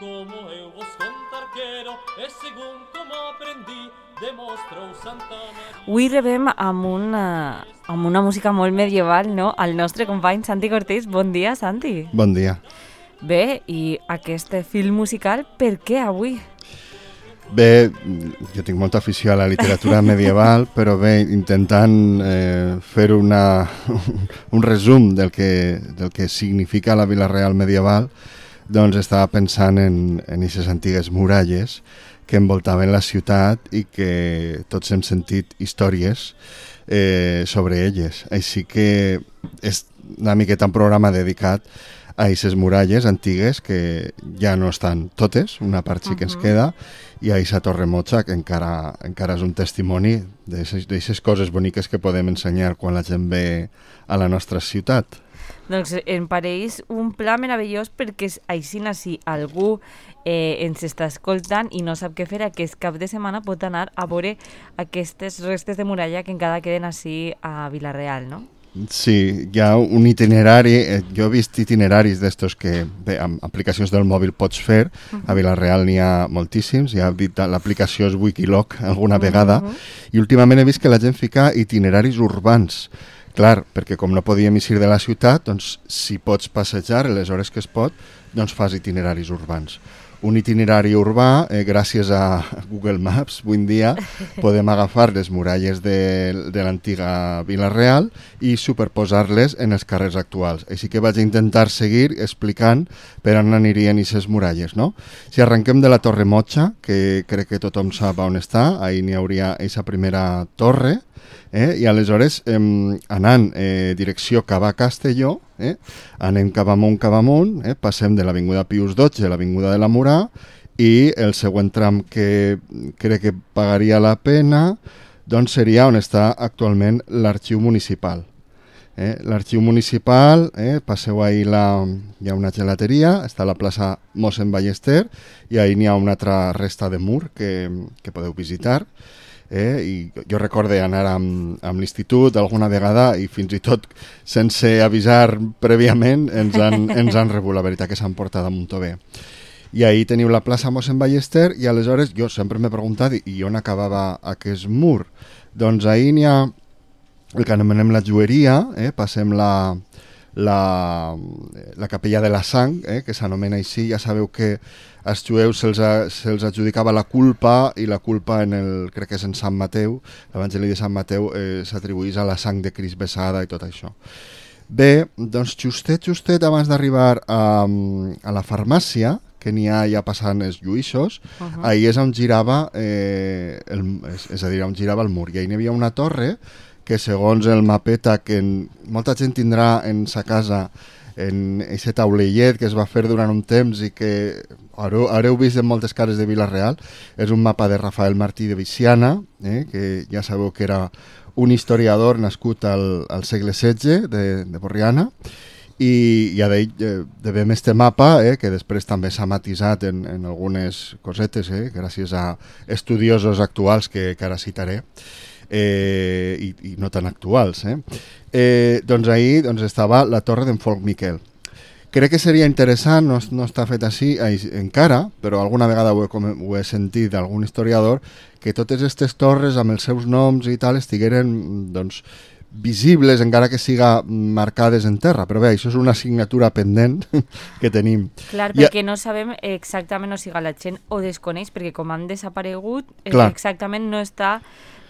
como eu vos contar quero, e segun como aprendí, demostrou Santa Maria. Avui rebem amb una música molt medieval, no? El nostre company Santi Cortés. Bon dia, Santi. Bon dia. Bé, i aquest fil musical, per què avui? Bé, jo tinc molta afició a la literatura medieval, però bé, intentant fer un resum del que significa la Vila Real medieval, doncs estava pensant en aquestes antigues muralles que envoltaven la ciutat i que tots hem sentit històries sobre elles. Així que és una miqueta un programa dedicat a aquestes muralles antigues que ja no estan totes, una part sí que ens queda, i a aquesta Torre Motxa que encara és un testimoni d'aquestes coses boniques que podem ensenyar quan la gent ve a la nostra ciutat. Doncs em pareix un pla meravellós perquè així si algú ens està escoltant i no sap què fer, aquest cap de setmana pot anar a veure aquestes restes de muralla que encara queden així a Vila-real, no? Sí, hi ha un itinerari, jo he vist itineraris d'estos que bé, amb aplicacions del mòbil pots fer, a Vila-real n'hi ha moltíssims, ja he dit l'aplicació és Wikiloc alguna vegada, i últimament he vist que la gent fica itineraris urbans. Clar, perquè com no podíem eixir de la ciutat, doncs si pots passejar les hores que es pot, doncs fas itineraris urbans. Un itinerari urbà, gràcies a Google Maps, avui en dia podem agafar les muralles de l'antiga Vila-real i superposar-les en els carrers actuals. Així que vaig intentar seguir explicant per on anirien aquestes muralles, no? Si arrenquem de la Torre Motxa, que crec que tothom sap on està, ahí n'hi hauria aquesta primera torre, i aleshores anant direcció cap a Castelló, anem cap amunt, passem de l'Avinguda Pius XII a l'Avinguda de la Murà i el següent tram que crec que pagaria la pena doncs seria on està actualment l'arxiu municipal. L'arxiu municipal, passeu ahir, hi ha una gelateria, està a la plaça Mossèn Ballester i ahir n'hi ha una altra resta de mur que podeu visitar. I jo recorde anar amb l'institut alguna vegada i fins i tot sense avisar prèviament ens han rebut, la veritat que s'han portat damunt bé. I ahir teniu la plaça Mossèn Ballester i aleshores jo sempre m'he preguntat i on acabava aquest mur. Doncs ahir n'hi ha el que anomenem la Jueria, passem la capella de la sang, que s'anomena així. Ja sabeu que als jueus se'ls adjudicava la culpa i la culpa crec que és en Sant Mateu, l'Evangeli de Sant Mateu s'atribuïs a la sang de Crist vessada i tot això. Bé, doncs justet abans d'arribar a la farmàcia, que n'hi ha ja passant els lluïssos, ahir és on girava on girava el mur, i ahir n'hi havia una torre que segons el mapeta que molta gent tindrà en sa casa en aquest taulellet que es va fer durant un temps i que haureu vist en moltes cases de Vila-real, és un mapa de Rafael Martí de Viciana, que ja sabeu que era un historiador nascut al segle XVI de Borriana, i ja devem este mapa, que després també s'ha matisat en algunes cosetes, gràcies a estudiosos actuals que ara citaré, i no tan actuals. Doncs ahir estava la torre d'en Folc Miquel. Crec que seria interessant, no està fet així encara, però alguna vegada ho he sentit d'algun historiador, que totes aquestes torres amb els seus noms i tal estigueren visibles, encara que siga marcades en terra. Però bé, això és una assignatura pendent que tenim. Clar, perquè no sabem exactament, o sigui, la gent ho desconeix, perquè com han desaparegut, exactament no està,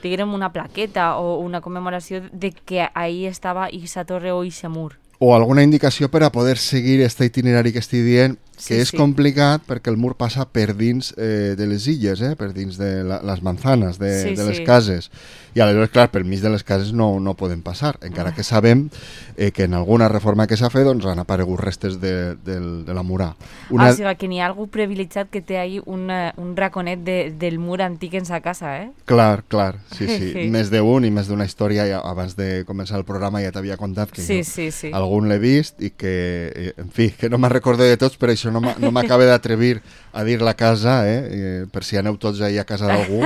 diguem, una plaqueta o una commemoració de que ahí estava aquesta torre o aquest mur. O alguna indicació per a poder seguir aquest itinerari que estic dient, que és complicat perquè el mur passa per dins de les illes, per dins de les manzanes de les cases. I aleshores, clar, per mig de les cases no poden passar, encara que sabem que en alguna reforma que s'ha fet han aparegut restes de la murà. O sigui, que n'hi ha algú privilegiat que té ahí un raconet del mur antic en sa casa, Clar, sí. Més d'un i més d'una història, abans de començar el programa ja t'havia contat que algun l'he vist i que, en fi, que no me'n recordo de tots, per això no m'acaba d'atrevir a dir la casa, per si aneu tots ahir a casa d'algú.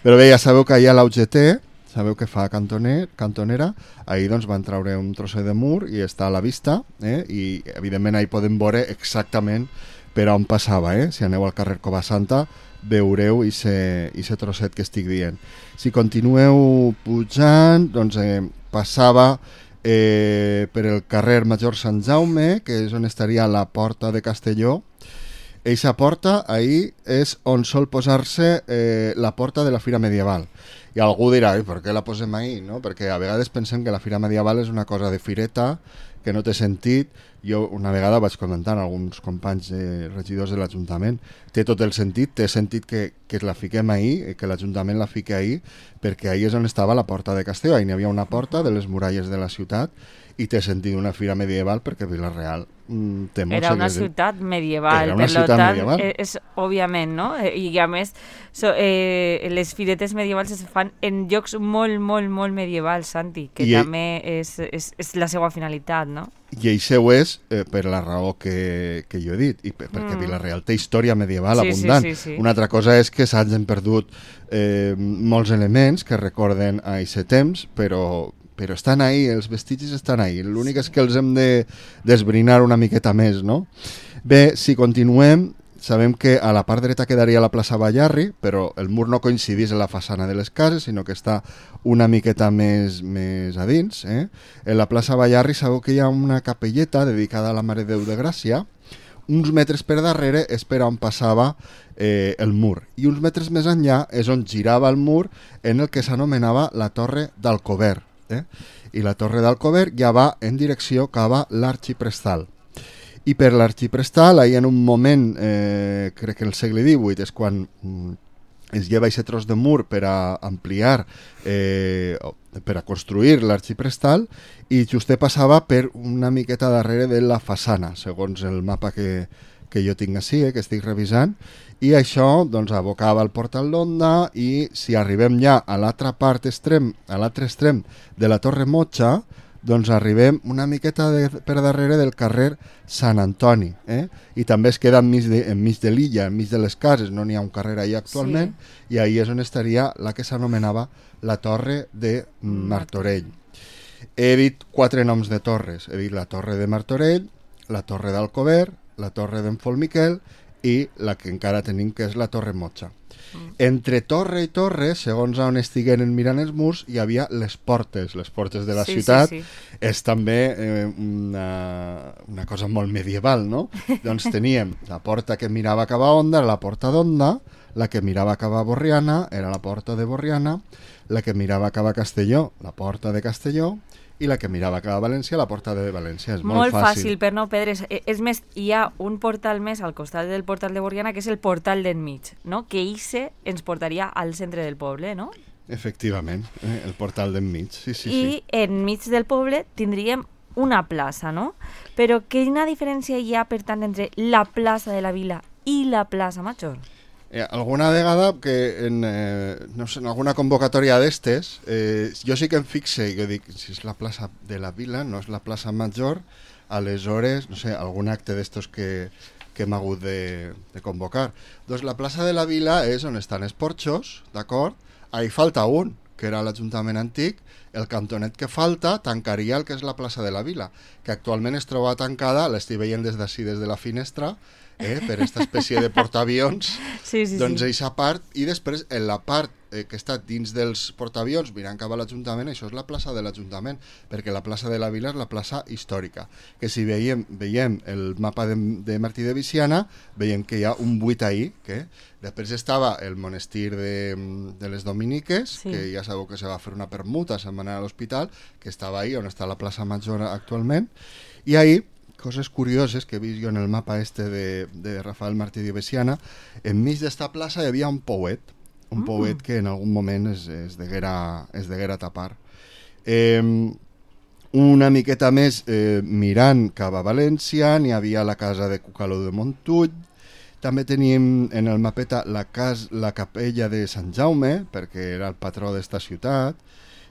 Però bé, ja sabeu que allà a l'UGT, sabeu que fa cantonera, ahir doncs van treure un trosset de mur i està a la vista, i evidentment ahir podem veure exactament per on passava, si aneu al carrer Covasanta veureu ese trosset que estic dient. Si continueu pujant, doncs passava per el carrer Major Sant Jaume, que és on estaria la porta de Castelló. Eixa porta, ahí és on sol posar-se la porta de la Fira Medieval. I algú dirà, per què la posem ahí? No? Perquè a vegades pensem que la Fira Medieval és una cosa de fireta, que no té sentit. Jo una vegada vaig comentar a alguns companys regidors de l'Ajuntament, té tot el sentit, té sentit que la fiquem ahí, que l'Ajuntament la fiqui ahí, perquè ahí és on estava la porta de Castelló, ahí n'hi havia una porta de les muralles de la ciutat, i té sentit una fira medieval perquè Vila-real té molts era una ciutat medieval, era una per ciutat tant, medieval. És òbviament, no? I a més, les firetes medievals es fan en llocs molt, molt, molt medievals, Santi, que també és la seva finalitat, no? I això és per la raó que jo he dit, i perquè Vila-real té història medieval abundant. Sí. Una altra cosa és que s'hagin perdut molts elements que recorden a aquest temps, però estan ahí, els vestigis estan ahí. L'únic és que els hem de desbrinar una miqueta més, no? Bé, si continuem, sabem que a la part dreta quedaria la plaça Ballarri, però el mur no coincidís en la façana de les cases, sinó que està una miqueta més a dins. En la plaça Ballarri sabeu que hi ha una capelleta dedicada a la Mare de Déu de Gràcia. Uns metres per darrere és per on passava el mur. I uns metres més enllà és on girava el mur en el que s'anomenava la Torre d'Alcover. I la Torre d'Alcover ja va en direcció cap a l'Arxiprestal. I per l'Arxiprestal, ahir en un moment, crec que el segle XVIII, és quan es lleva aquest tros de mur per a ampliar, per a construir l'Arxiprestal, i just passava per una miqueta darrere de la façana, segons el mapa que jo tinc així, que estic revisant, i això doncs, abocava al Portal d'Onda, i si arribem ja a l'altra part extrem, a l'altre extrem de la Torre Motxa, doncs arribem una miqueta per darrere del carrer Sant Antoni, i també es queda enmig de l'illa, enmig de les cases, no n'hi ha un carrer allà actualment, i ahí és on estaria la que s'anomenava la Torre de Martorell. He dit 4 noms de torres, he dit la Torre de Martorell, la Torre d'Alcover, la Torre d'en Folmiquel i la que encara tenim, que és la Torre Motxa. Entre torre i torre, segons on estigueren mirant els murs, hi havia les portes de la ciutat. És també una cosa molt medieval, no? Doncs teníem la porta que mirava cap a Onda, la porta d'Onda, la que mirava cap a Borriana era la porta de Borriana, la que mirava cap a Castelló, la porta de Castelló, i la que mirava cap a València, la porta de València. És molt fàcil per no perdre's. És més, hi ha un portal més al costat del portal de Borriana, que és el portal d'enmig, no? Que ixe ens portaria al centre del poble, no? Efectivament, el portal d'enmig, sí. I enmig del poble tindríem una plaça, no? Però quina diferència hi ha, per tant, entre la plaça de la Vila i la plaça Major? Alguna vegada que en alguna convocatòria d'estes jo sí que em fixe i dic, si és la plaça de la Vila, no és la plaça Major, aleshores, no sé, algun acte d'estos que hem hagut de convocar. Doncs la plaça de la Vila és on estan els porxos, d'acord? Ahí falta un, que era l'Ajuntament antic. El cantonet que falta tancaria el que és la plaça de la Vila, que actualment es troba tancada, l'estic veient des d'ací, des de la finestra, per aquesta espècie de portaavions. Doncs eixa part, i després en la part que està dins dels portaavions mirant cap a l'Ajuntament, això és la plaça de l'Ajuntament, perquè la plaça de la Vila és la plaça històrica, que si veiem el mapa de Martí de Viciana, veiem que hi ha un buit ahí, que després estava el monestir de les Dominiques, que ja sabeu que se va fer una permuta, se'n va anar a l'hospital, que estava ahí on està la plaça Major actualment, i ahí coses curioses que he vist jo en el mapa de Rafael Martí de Veciana, enmig d'esta plaça hi havia un pouet que en algun moment es deguera tapar. Una miqueta més mirant cap a València n'hi havia la casa de Cucaló de Montull, també teníem en el mapeta la capella de Sant Jaume, perquè era el patró d'esta ciutat.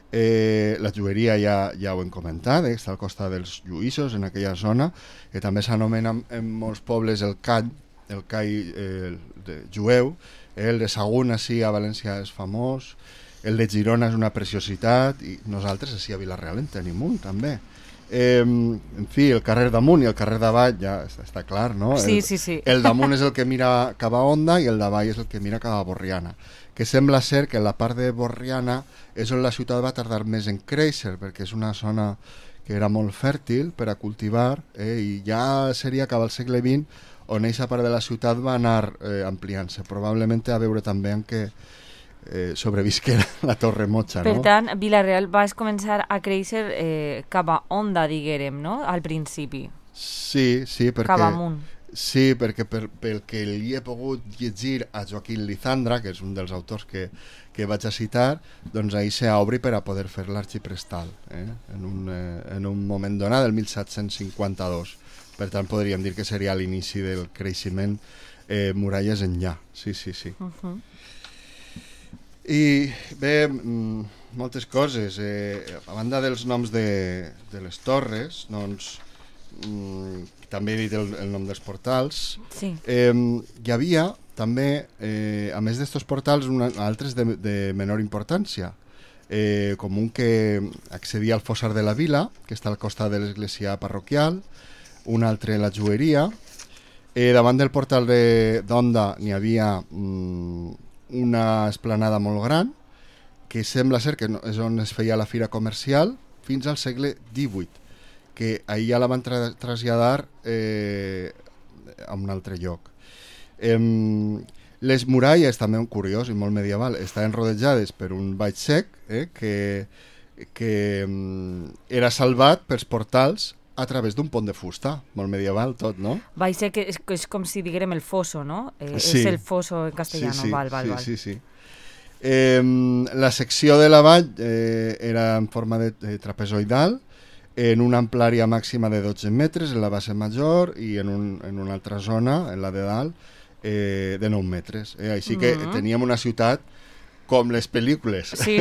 La jugueria ja ho hem comentat, està al costat dels Lluïssos, en aquella zona, que també s'anomena en molts pobles el call jueu. El de Sagunt, així a València, és famós. El de Girona és una preciositat, i nosaltres així a Vila-real en tenim un també. En fi, el carrer damunt i el carrer davall ja està clar, no? Sí. El damunt és el que mira cap a Onda i el davall és el que mira cap a Borriana, que sembla ser que la part de Borriana és on la ciutat va tardar més en créixer, perquè és una zona que era molt fèrtil per a cultivar, i ja seria cap al segle XX on aquesta part de la ciutat va anar ampliant-se. Probablement té a veure també amb que sobrevisqué la Torre Mocha, no? Per tant, Vila-real va començar a créixer cap a Onda, diguérem, no? Al principi. Sí, perquè... Cap amunt. Sí, perquè pel que li he pogut llegir a Joaquín Lizandra, que és un dels autors que vaig a citar, doncs ahir s'obri per a poder fer l'arxiprestal, en un moment donat, del 1752. Per tant, podríem dir que seria l'inici del creixement muralles enllà. Sí. I bé, moltes coses. A banda dels noms de les torres, doncs... també he dit el nom dels portals. Sí. Hi havia també, a més d'estos portals, altres de menor importància, com un que accedia al fossar de la vila, que està al costat de l'església parroquial, un altre la jueria. Davant del portal d'Onda n'hi havia una esplanada molt gran, que sembla ser que és on es feia la fira comercial fins al segle XVIII, que ahir ja la van traslladar a un altre lloc. Les muralles, també un curiós i molt medieval, estaven rodejades per un vall sec que era salvat pels portals a través d'un pont de fusta, molt medieval tot, no? Vall sec és com si diguérem el fosso, no? Sí. És el fosso en castellano, sí, val. Sí. La secció de la vall era en forma de trapezoidal, en una amplària màxima de 12 metres en la base major i en una altra zona, en la de dalt, de 9 metres. Així que teníem una ciutat com les pel·lícules. Sí,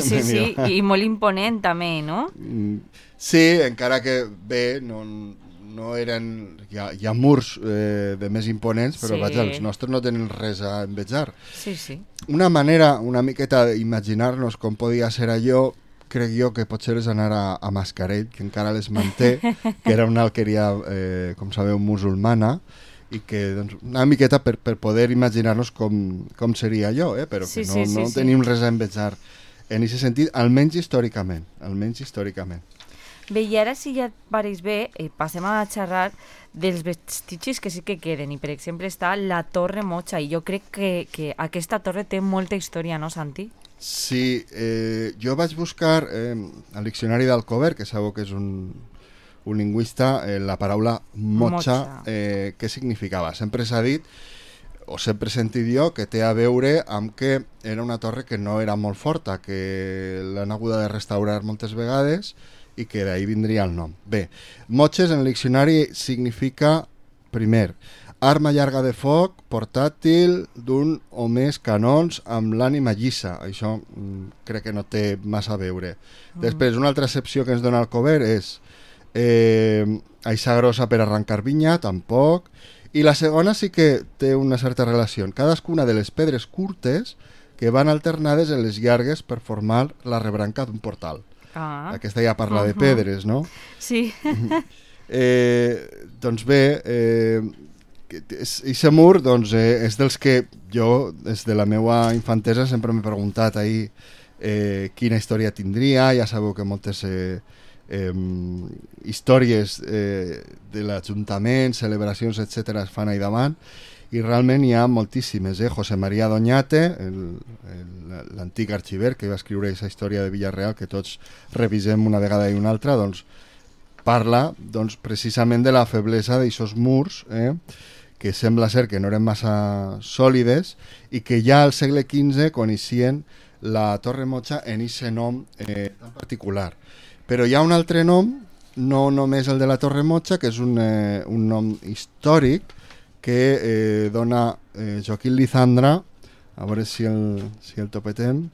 i molt imponent també, no? Sí, encara que bé, no eren... Hi ha murs de més imponents, però vaja, els nostres no tenen res a envejar. Sí. Una manera una miqueta d'imaginar-nos com podia ser allò, crec jo que potser és anar a Mascarell, que encara les manté, que era una alqueria, com sabeu, musulmana, i que doncs, una miqueta per poder imaginar-nos com seria allò, però que no tenim res a envejar en aquest sentit, almenys històricament. Bé, i ara si ja et pareix bé, passem a xerrar dels vestigis que sí que queden, i per exemple està la Torre Mocha, i jo crec que aquesta torre té molta història, no, Santi? Sí, jo vaig buscar al diccionari d'Alcover, que sabeu que és un lingüista, la paraula mocha, què significava. Sempre s'ha dit, o sempre he sentit jo, que té a veure amb que era una torre que no era molt forta, que l'han hagut de restaurar moltes vegades i que d'ahir vindria el nom. Bé, moches en el diccionari significa, primer, arma llarga de foc, portàtil, d'un o més canons amb l'ànima llisa. Això crec que no té massa a veure. Després, una altra excepció que ens dona el Cover és aixa grossa per arrencar vinya, tampoc. I la segona sí que té una certa relació. Cadascuna de les pedres curtes que van alternades en les llargues per formar la rebranca d'un portal. Aquesta ja parla de pedres, no? Sí. Doncs bé, aquest mur doncs, és dels que jo, des de la meva infantesa, sempre m'he preguntat ahir quina història tindria. Ja sabeu que moltes històries de l'Ajuntament, celebracions, etc. es fan ahí davant, i realment hi ha moltíssimes. José María Doñate, l'antic arxiver que va escriure aquesta història de Vila-real que tots revisem una vegada i una altra, doncs parla precisament de la feblesa d'aquests murs, que sembla ser que no eren massa sòlides i que ja al segle XV coneixien la Torre Mocha en aquest nom tan particular. Però hi ha un altre nom, no només el de la Torre Mocha, que és un nom històric que dona Joaquín Lizandra, a veure si el topetem,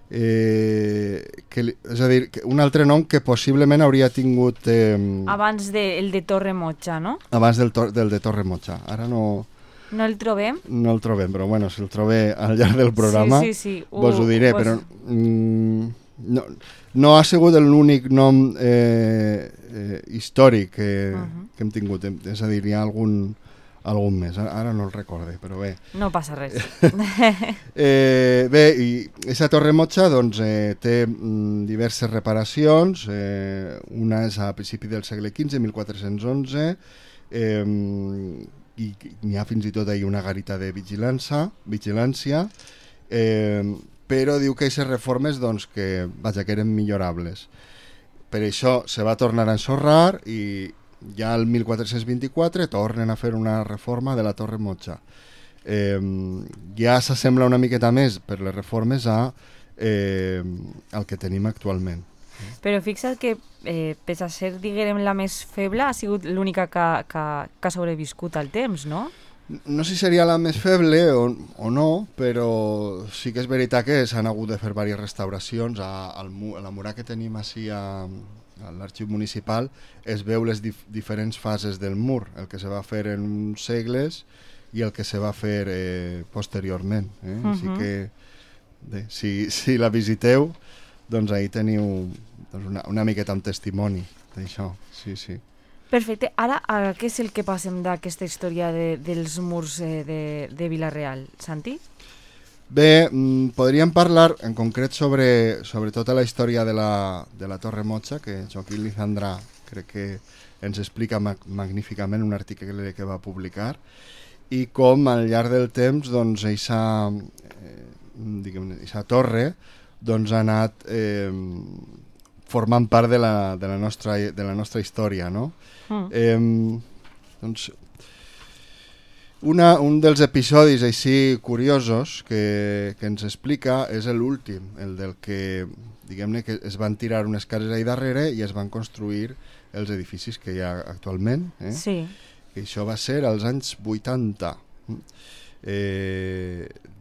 és a dir, un altre nom que possiblement hauria tingut... abans del de Torre Mocha, no? Abans del de Torre Mocha. Ara no... No el trobem? No el trobem, però bueno, si el trobé al llarg del programa vos ho diré, però... no ha sigut l'únic nom històric que hem tingut, és a dir, hi ha algun més, ara no el recorde, però bé. No passa res. Bé, i aquesta Torre Motxa doncs, té diverses reparacions, una és a principi del segle XV, 1411, i n'hi ha fins i tot ahir una garita de vigilància, però diu que aquestes reformes doncs, que eren millorables. Per això se va tornar a ensorrar i ja el 1424 tornen a fer una reforma de la Torre Motxa. Ja s'assembla una miqueta més per les reformes al que tenim actualment. Però fixa't que, pese a ser, diguem, la més feble, ha sigut l'única que ha sobreviscut al temps, no? No sé si seria la més feble o no, però sí que és veritat que s'han hagut de fer diverses restauracions. A la muralla que tenim així a l'arxiu municipal es veu les diferents fases del mur, el que se va fer en uns segles i el que se va fer posteriorment. Així que, bé, si la visiteu, doncs ahí teniu una miqueta un testimoni d'això, sí. Perfecte. Ara, què és el que passem d'aquesta història dels murs de Vila-real, Santi? Bé, podríem parlar en concret sobre tota la història de la Torre Motxa, que Joaquín Lizandra crec que ens explica magníficament un article que va publicar, i com al llarg del temps doncs, eixa torre doncs, ha anat formant part de la nostra història, no? Doncs, un dels episodis així curiosos que ens explica és l'últim, el del que, diguem-ne, que es van tirar unes cases ahí darrere i es van construir els edificis que hi ha actualment. Sí. I això va ser als anys 80.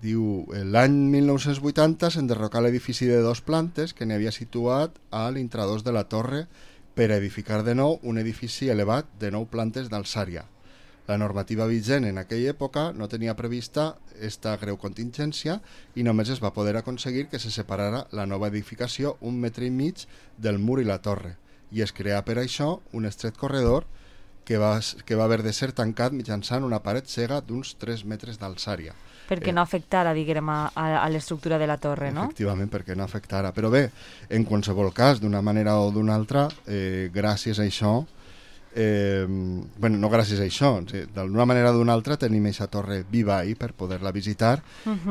Diu, l'any 1980 s'enderrocà l'edifici de 2 plantes que n'hi havia situat a l'intradós de la torre per edificar de nou un edifici elevat de 9 plantes d'alçària. La normativa vigent en aquella època no tenia prevista esta greu contingència i només es va poder aconseguir que se separara la nova edificació 1,5 metres del mur i la torre i es creà per això un estret corredor que va haver de ser tancat mitjançant una paret cega d'uns 3 metres d'alçària. Perquè no afectara, diguem, a l'estructura de la torre, no? Efectivament, perquè no afectara. Però bé, en qualsevol cas, d'una manera o d'una altra, gràcies a això, no gràcies a això, d'una manera o d'una altra tenim aquesta torre viva ahí per poder-la visitar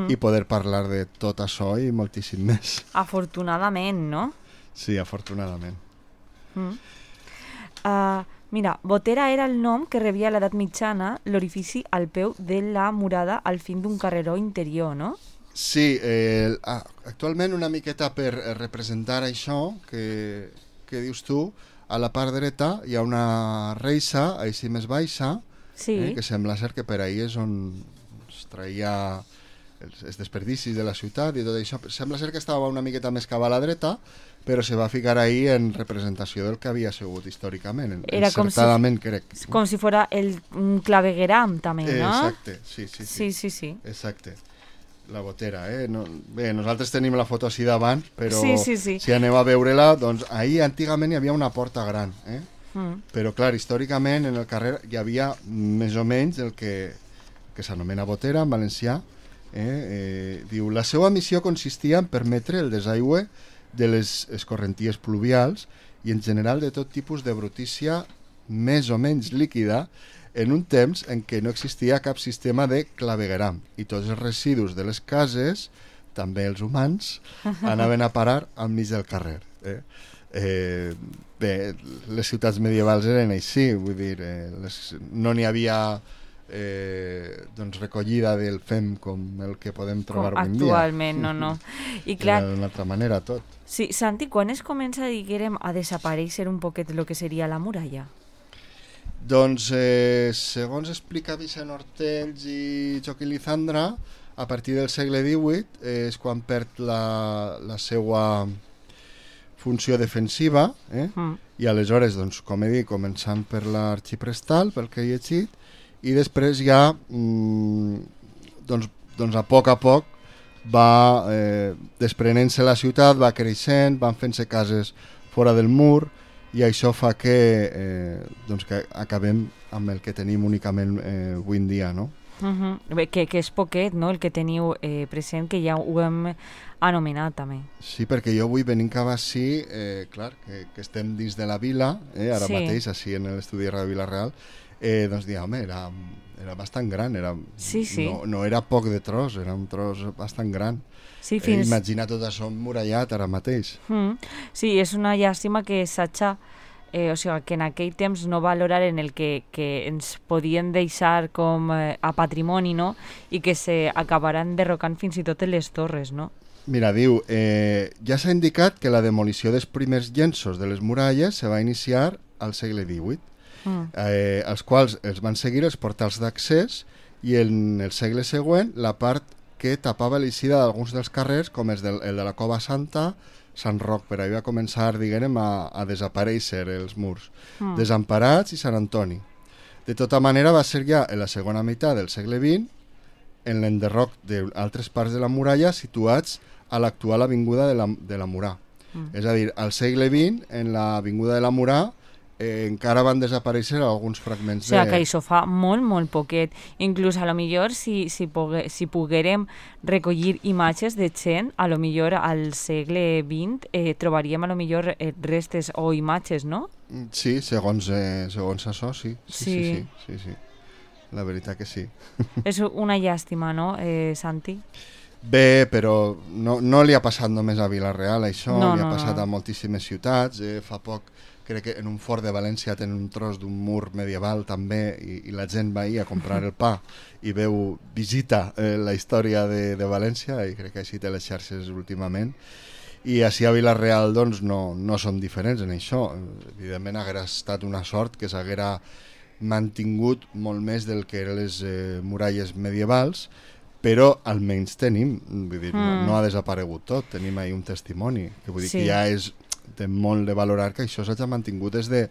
i poder parlar de tot això i moltíssim més. Afortunadament, no? Sí, afortunadament. Mira, Botera era el nom que rebia a l'edat mitjana l'orifici al peu de la murada al fin d'un carreró interior, no? Sí, actualment una miqueta per representar això que dius tu, a la part dreta hi ha una reixa, així més baixa, que sembla ser que per ahí és on es traia els desperdicis de la ciutat i tot això. Sembla ser que estava una miqueta més cap a la dreta, però se va ficar ahí en representació del que havia sigut històricament. Era encertadament, crec. Com si fora un clavegueram, també, no? Exacte, sí. Exacte. La Botera, Bé, nosaltres tenim la foto així davant, però si aneu a veure-la, doncs ahir antigament hi havia una porta gran, però clar, històricament en el carrer hi havia més o menys el que s'anomena Botera en valencià. Diu, la seva missió consistia en permetre el desaigüe de les escorrenties pluvials i en general de tot tipus de brutícia més o menys líquida en un temps en què no existia cap sistema de clavegueram i tots els residus de les cases, també els humans, anaven a parar al mig del carrer. Bé, les ciutats medievals eren així, vull dir, no n'hi havia recollida del fem com el que podem trobar avui dia. Actualment, no. I clar, d'una altra manera tot. Sí, Santi, quan es comença, diguem, a desaparèixer un poquet el que seria la muralla? Doncs, segons explica Vicent Hortells i Joaquín Lizandra, a partir del segle XVIII és quan perd la seva funció defensiva, i aleshores, doncs, com he dit, començant per l'arxiprestal, pel que he llegit, i després ja, doncs a poc va desprenent-se la ciutat, va creixent, van fent-se cases fora del mur, i això fa que, doncs que acabem amb el que tenim únicament avui en dia, no? Bé, que és poquet, no?, el que teniu present, que ja ho hem anomenat també. Sí, perquè jo avui venint cap així, clar, que estem dins de la vila, ara mateix, així en l'estudi de Ràdio Vila-real, doncs dir, home, era bastant gran, no era poc de tros, era un tros bastant gran. Sí, imagina tot això emmurallat ara mateix. Sí, és una llàstima que s'haja, o sigui, que en aquell temps no valoraren el que ens podien deixar com a patrimoni, no?, i que s'acabaran derrocant fins i tot en les torres, no? Mira, diu, ja s'ha indicat que la demolició dels primers llenços de les muralles se va iniciar al segle XVIII, els quals els van seguir els portals d'accés, i en el segle següent la part que tapava l'eixida d'alguns dels carrers, com el de la Cova Santa, Sant Roc, per ahí va començar, diguem, a desaparèixer els murs, Desemparats i Sant Antoni. De tota manera va ser ja en la segona meitat del segle XX en l'enderroc d'altres parts de la muralla situats a l'actual avinguda de la Murà. És a dir, al segle XX, en l'avinguda de la Murà, encara van desaparèixer alguns fragments O sigui, que això fa molt, molt poquet. Inclús, a lo millor, si poguérem recollir imatges de gent, a lo millor al segle XX trobaríem a lo millor restes o imatges, no? Sí, segons això, sí. Sí. La veritat que sí. És una llàstima, no, Santi? Bé, però no li ha passat només a Vila-real, això, li ha passat a moltíssimes ciutats. Fa poc, crec que en un fort de València tenen un tros d'un mur medieval també, i la gent va a comprar el pa i visita la història de València, i crec que així té les xarxes últimament. I així a Vila-real doncs no són diferents en això. Evidentment haguera estat una sort que s'haguera mantingut molt més del que eren les muralles medievals, però almenys tenim, vull dir, no ha desaparegut tot, tenim ahí un testimoni, que vull dir que ja és de molt de valorar que això s'ha mantingut des de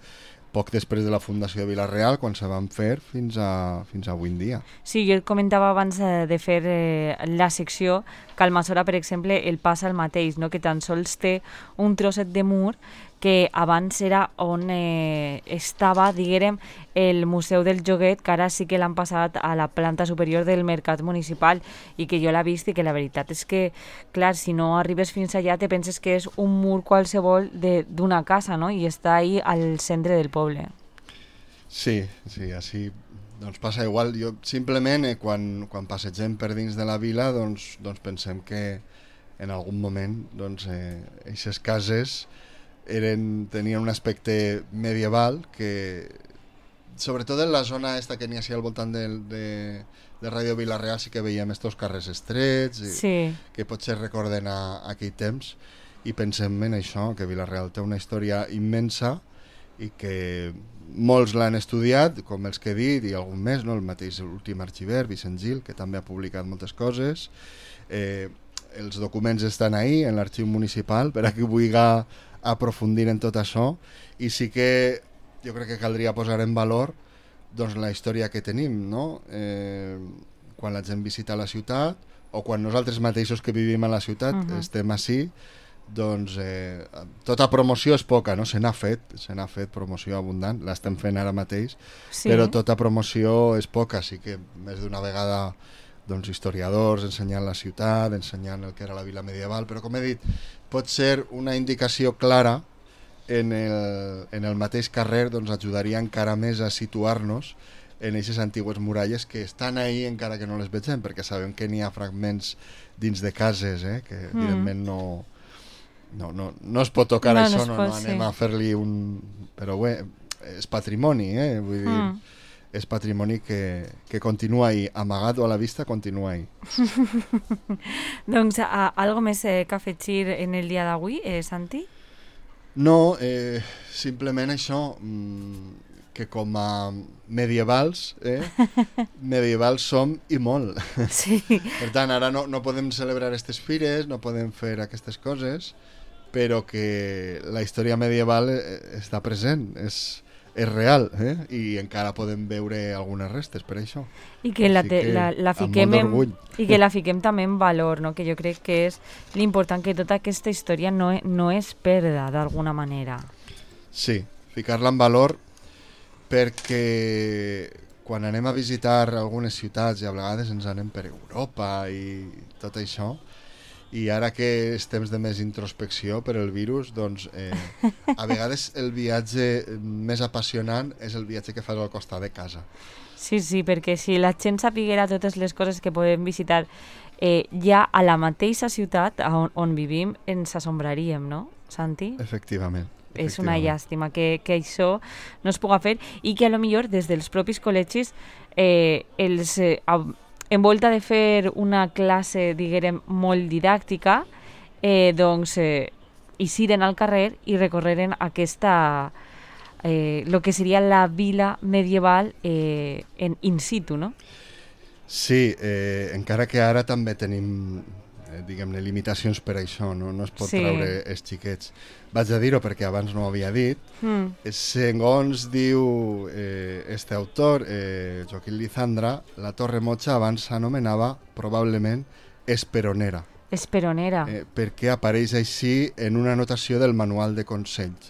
poc després de la fundació de Vila-real, quan se van fer fins a avui en dia. Sí, jo comentava abans de fer la secció que al Almassora, per exemple, el passa el mateix, no?, que tan sols té un trosset de mur que abans era on estava, diguem, el Museu del Joguet, que ara sí que l'han passat a la planta superior del Mercat Municipal, i que jo l'he vist i que la veritat és que, clar, si no arribes fins allà te penses que és un mur qualsevol d'una casa, no?, i està ahí al centre del poble. Sí, així doncs passa igual. Jo simplement quan passegem per dins de la vila doncs pensem que en algun moment aquestes cases tenien un aspecte medieval, que sobretot en la zona esta que n'hi ha al voltant de Ràdio Vila-real sí que veiem estos carrers estrets, que potser recorden aquell temps, i pensem en això, que Vila-real té una història immensa i que molts l'han estudiat, com els que he dit, i algun més, no? El mateix últim arxiver, Vicent Gil, que també ha publicat moltes coses. Els documents estan ahí, en l'arxiu municipal, per a qui vulgui aprofundir en tot això, i sí que jo crec que caldria posar en valor doncs la història que tenim, no? Quan la gent visita la ciutat, o quan nosaltres mateixos que vivim a la ciutat estem així, doncs tota promoció és poca, no? Se n'ha fet promoció abundant, l'estem fent ara mateix, però tota promoció és poca, sí que més d'una vegada doncs historiadors ensenyant la ciutat, ensenyant el que era la vila medieval, però com he dit, pot ser una indicació clara en el mateix carrer, doncs ajudaria encara més a situar-nos en aquestes antigues muralles que estan ahí encara que no les vegem, perquè sabem que n'hi ha fragments dins de cases, que evidentment no es pot tocar això, no anem a fer-li un... Però bé, és patrimoni, vull dir... És patrimoni que continua ahí, amagat o a la vista, continua ahí. Doncs, algo més que afegir en el dia d'avui, Santi? No, simplement això, que com a medievals, medievals som i molt. Sí. Per tant, ara no podem celebrar aquestes fires, no podem fer aquestes coses, però que la història medieval està present, és real, i encara podem veure algunes restes per això. I que la fiquem i que la fiquem també en valor, no? Que jo crec que és l'important, que tota aquesta història no és perda d'alguna manera. Sí, ficar-la en valor, perquè quan anem a visitar algunes ciutats i a vegades ens anem per Europa i tot això, i ara que és temps de més introspecció per el virus, doncs a vegades el viatge més apassionant és el viatge que fas al costat de casa. Sí, perquè si la gent sapiguera totes les coses que podem visitar ja a la mateixa ciutat on vivim, ens assombraríem, no, Santi? Efectivament. És una llàstima que això no es puga fer i que a lo millor des dels propis col·legis en volta de fer una classe, diguem, molt didàctica, doncs ixiren al carrer i recorreren aquesta, lo que seria la vila medieval in situ, no? Sí, encara que ara també tenim, diguem-ne, limitacions per això, no es pot treure els xiquets. Vaig a dir-ho perquè abans no ho havia dit. Segons diu este autor, Joaquín Lizandra, la Torre Mocha abans s'anomenava probablement Esperonera. Esperonera. Perquè apareix així en una anotació del manual de consells.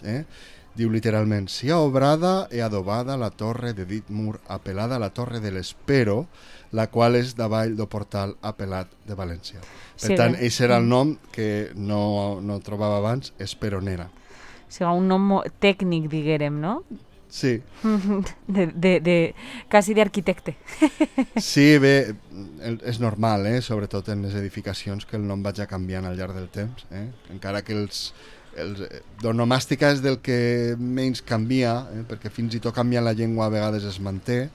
Diu literalment: «Sia obrada e adobada la torre de dit mur apelada a la torre de l'Espero, la qual és davall del portal apelat de València». Per tant, aquest era el nom que no trobava abans, Esperonera. O sigui, un nom tècnic, diguérem, no? Sí. Quasi d'arquitecte. Sí, bé, és normal, sobretot en les edificacions, que el nom vagi canviant al llarg del temps. Encara que l'onomàstica és del que menys canvia, perquè fins i tot canviant la llengua a vegades es manté,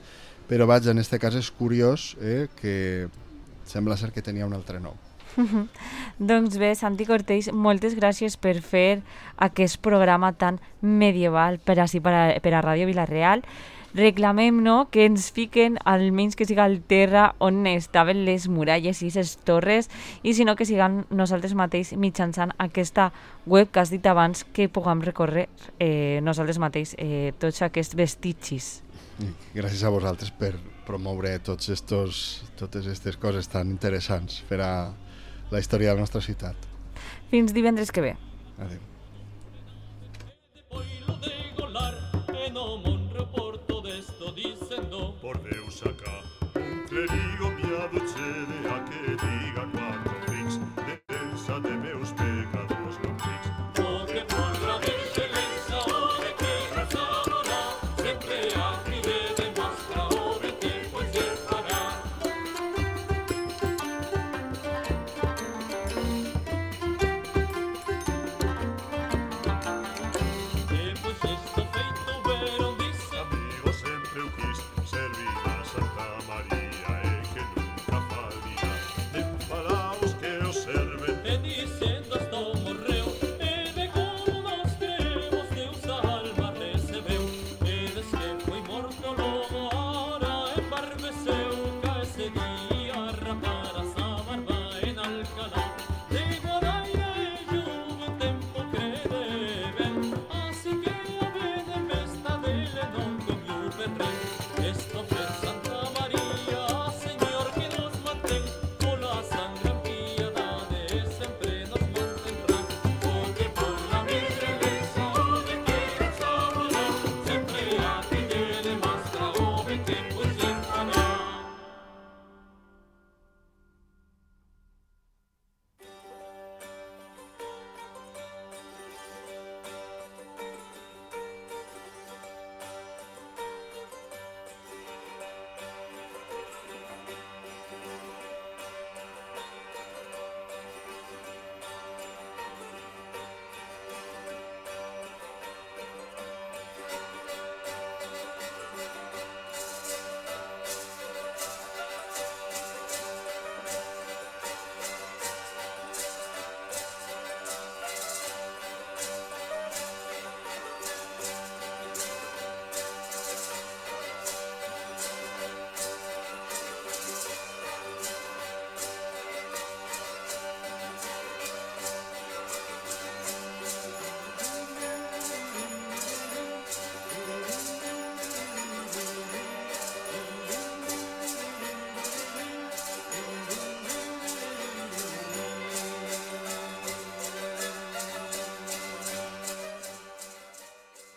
però vaja, en aquest cas és curiós que sembla ser que tenia un altre nom. Doncs bé, Santi Cortells, moltes gràcies per fer aquest programa tan medieval per a Ràdio Vila-real. Reclamem, no?, que ens fiquen almenys que siga al terra on estaven les muralles i les torres, i si no que siguem nosaltres mateix mitjançant aquesta web que has dit abans, que puguem recórrer nosaltres mateix tots aquests vestigis. Gràcies a vosaltres per promoure totes aquestes coses tan interessants per a la història de la nostra ciutat. Fins divendres que ve. Adéu. Por Deus acá, un clérigo miado chede a que diga cuando